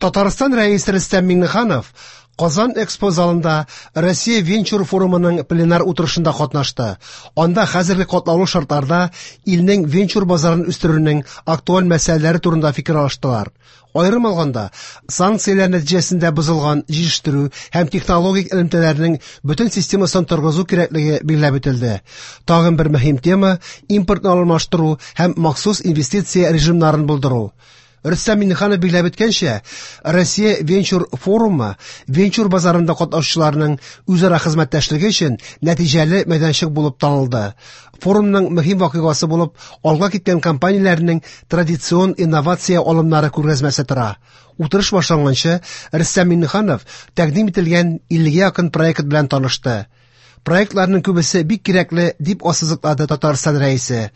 Татарстан Рәисе Рөстәм Миңнеханов Казан Экспо залында Россия венчур форумының пленар утырышында катнашты. Анда хәзерге катлаулы шартларда илнең венчур базарын үстерүнең актуаль мәсьәләләре турында фикер алыштылар. Аерым алганда, санкцияләр нәтиҗәсендә бозылган җитештерү һәм технологик элемтәләрнең бөтен системасын торгызу кирәклеге билгеләп үтелде. Тагын бер мөһим тема импортны алмаштыру һәм махсус инвестиция режимнарын булдыру. Рөстәм Миңнеханов билгеләп үткәнчә, Россия венчур форумы венчур базарында катнашучыларның үзара хезмәттәшлеге өчен нәтиҗәле мәйданчык булып танылды. Форумның мөһим вакыйгасы булып алга киткән компанияләрнең традицион инновация алымнары күргәзмәсе тора. Утырыш башланганчы Рөстәм Миңнеханов тәкъдим ителгән 50-гә якын проект белән танышты. Проектларның күбесе бик кирәкле, дип ассызыклады Татарстан Рәисе.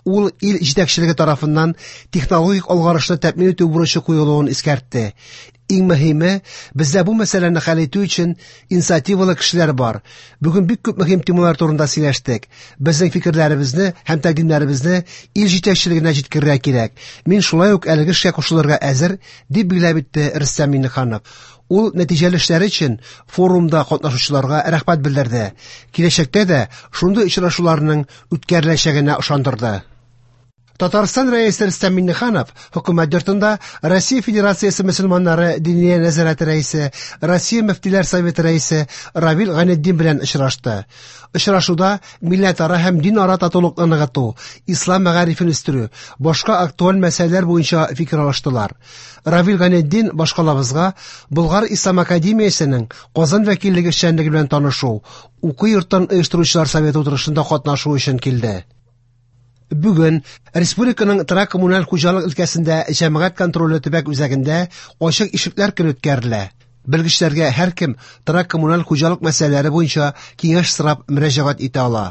Ул ил җитәкчелеге тарафыннан технологик алгарышны тәэмин итү бурычы куелуын искәртте. Иң мөһиме, бездә бу мәсьәләне хәл итү өчен инициативалы кешеләр бар. Бүген бик күп мөһим темалар турында сөйләштек. Безнең фикерләребезне һәм тәкъдимнәребезне ил җитәкчелегенә җиткерергә кирәк. Мин шулай ук әлеге эшкә кушылырга әзер, дип билгеләп үтте Рөстәм Миңнеханов. Ул нәтиҗәле эшләре өчен форумда катнашучыларга рәхмәт белдерде. Киләчәктә дә шундый очрашуларның үткәреләчәгенә ышандырды. Татарстан Рәисе Рөстәм Миңнеханов хөкүмәт йортында Россия Федерациясе мөселманнары Диния нәзарәте рәисе, Россия мөфтиләр советы рәисе Равил Гайнетдин белән очрашты. Очрашуда милләтара һәм динара татулыкны ныгыту, ислам мәгарифен үстерү, башка актуаль мәсьәләләр буенча фикер алыштылар. Равил Гайнетдин башкалабызга Болгар Ислам академиясенең Казан вәкиллеге эшчәнлеге белән танышу, уку йортын оештыручылар советы утырышында катнашу өчен килде. Бүген республиканың торак коммуналь хуҗалык өлкәсендә җәмәгать контроле төбәк үзәгендә ачык ишекләр көне үткәрелә. Белгечләргә һәркем торак коммуналь хуҗалык мәсьәләләре буенча киңәш сорап мөрәҗәгать итә ала.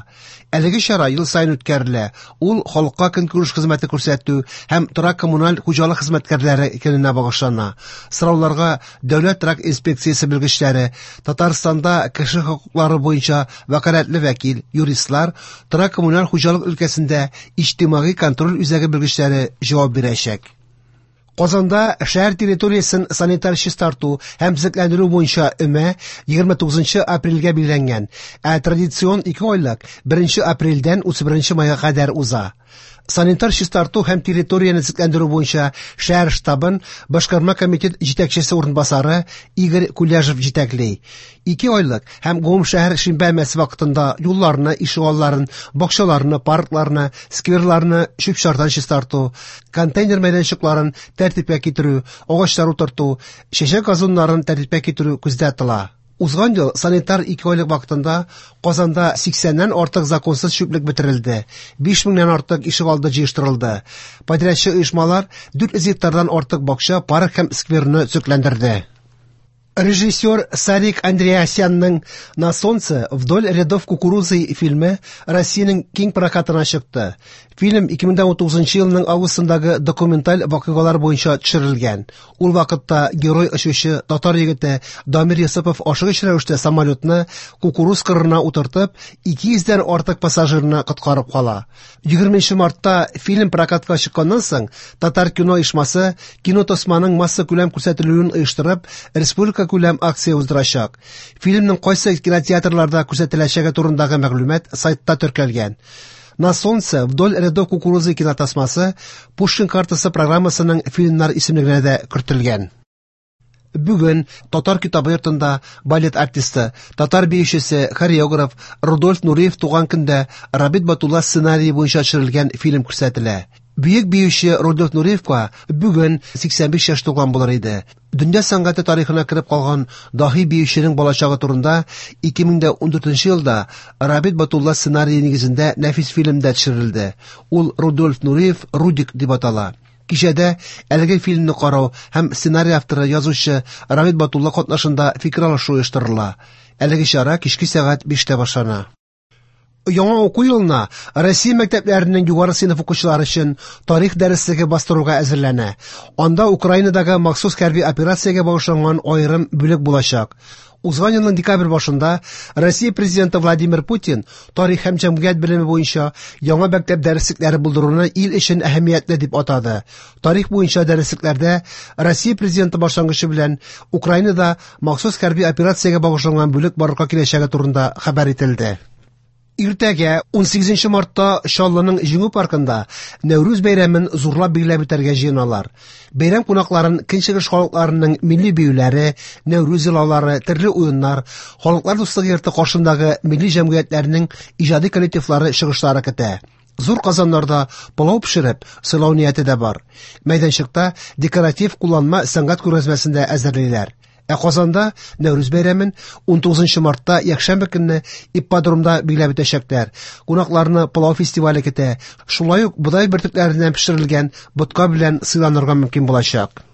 Әлеге чара ел саен үткәрелә. Ул халыкка көнкүреш хезмәте күрсәтү һәм торак коммуналь хуҗалык хезмәткәрләре көненә багышлана. Сорауларга Дәүләт торак инспекциясе белгечләре, Татарстанда кеше хокуклары буенча вәкаләтле вәкил, юристлар, торак коммуналь хуҗалык өлкәсендә иҗтимагый контроль үзәге белгечләре җавап бирәчәк. Казанда шәһәр территориясен санитар чистарту һәм төзекләндерү буенча өмә 29 апрельгә билгеләнгән, ә традицион 2 айлык 1 апрельдән 31 майга кадәр уза. Санитар чистарту һәм территорияне төзекләндерү буенча шәһәр штабын башкарма комитет җитәкчесе урынбасары Игорь Куляжев җитәкли. 2 айлык һәм гомумшәһәр шимбә өмәсе вакытында юлларны, ишегалларын, бакчаларны, паркларны, скверларны чүп-чардан чистарту, контейнер мәйданчыкларын тәртипкә китерү, агачлар утырту, чәчәк газоннарын тәртипкә китерү күздә тотыла. Узган ел санитар 2 айлык вакытында Казанда 80-нән артык законсыз чүплек бетерелде, 5000-нән артык ишегалды җыештырылды. Подрядчы оешмалар 400 гектардан артык бакча, парк һәм скверны төзекләндерде. Режиссер Сарик Андреасянның «На солнце вдоль рядов кукурузы» фильмы Россиянең киң прокатына чыкты. Фильм 2019 елның августындагы документаль вакыйгалар буенча төшерелгән. Ул вакытта герой очучы татар егете Дамир Йосыпов ашыгыч рәвештә самолетны кукуруз кырына утыртып, 200-дән артык пассажирны коткарып кала. 20 мартта фильм прокатка чыкканнан соң Татар кино оешмасы кинотасманың массакүләм күрсәтелүен оештырып, республика күләм акция уздырачак. Фильмның кайсы кинотеатрларда күрсәтеләчәге турындагы мәгълүмат сайтта теркәлгән. На солнце вдоль рядов кукурузы кинотасмасы Пушкин картасы программасының фильмнар исемлегенә дә кертелгән. Бүген Татар китабы йортында балет артисты, татар биючесе, хореограф Рудольф Нуриев туган көндә Рабит Батулла сценарие буенча төшерелгән фильм күрсәтелә. Бөек биюче Рудольф Нуриевка бүген 85 яшь тулган булыр иде. Дөнья сәнгате тарихына кереп калган даһи биюченең балачагы турында 2014 елда Рабит Батулла сценарие нигезендә нәфис фильм дә төшерелде. Ул Рудольф Нуриев Рудик дип атала. Кичәдә әлеге фильмны карау һәм сценарий авторы язучы Рабит Батулла катнашында фикер алышу оештырыла. Әлеге чара кичке сәгать 5-тә башлана. Яңа уку елына Россия мәктәпләренең югары сыйныф укучылары өчен тарих дәреслеге бастыруга әзерләнә. Анда Украинадагы махсус хәрби операциягә багышланган аерым бүлек булачак. Узган елның декабрь башында Россия Президенты Владимир Путин тарих һәм җәмгыять белеме буенча яңа мәктәп дәреслекләре булдыруны ил өчен әһәмиятле дип атады. Тарих буенча дәреслекләрдә Россия Президенты башлангычы белән Украинада махсус хәрби операциягә багышланган бүлек барлыкка киләчәге турында хәбәр ителде. Иртәгә, 18 мартта Чаллының Җиңү паркында Нәүрүз бәйрәмен зурлап билгеләп үтәргә җыеналар. Бәйрәм кунакларын көнчыгыш халыкларының милли биюләре, Нәүрүз йолалары, төрле уеннар, Халыклар дуслыгы йорты каршындагы милли җәмгыятьләрнең иҗади коллективлары чыгышлары көтә. Зур казаннарда пылау пешереп, сыйлау нияте дә бар. Мәйданчыкта декоратив кулланма сәнгать күргәзмәсен дә әзерлиләр. Ә Казанда Нәүрүз бәйрәмен 19 мартта якшәмбе көнне ипподромда билгеләп үтәчәкләр. Кунакларны пылау фестивале көтә. Шулай ук бодай бөртекләреннән пешерелгән ботка белән сыйланырга мөмкин булачак.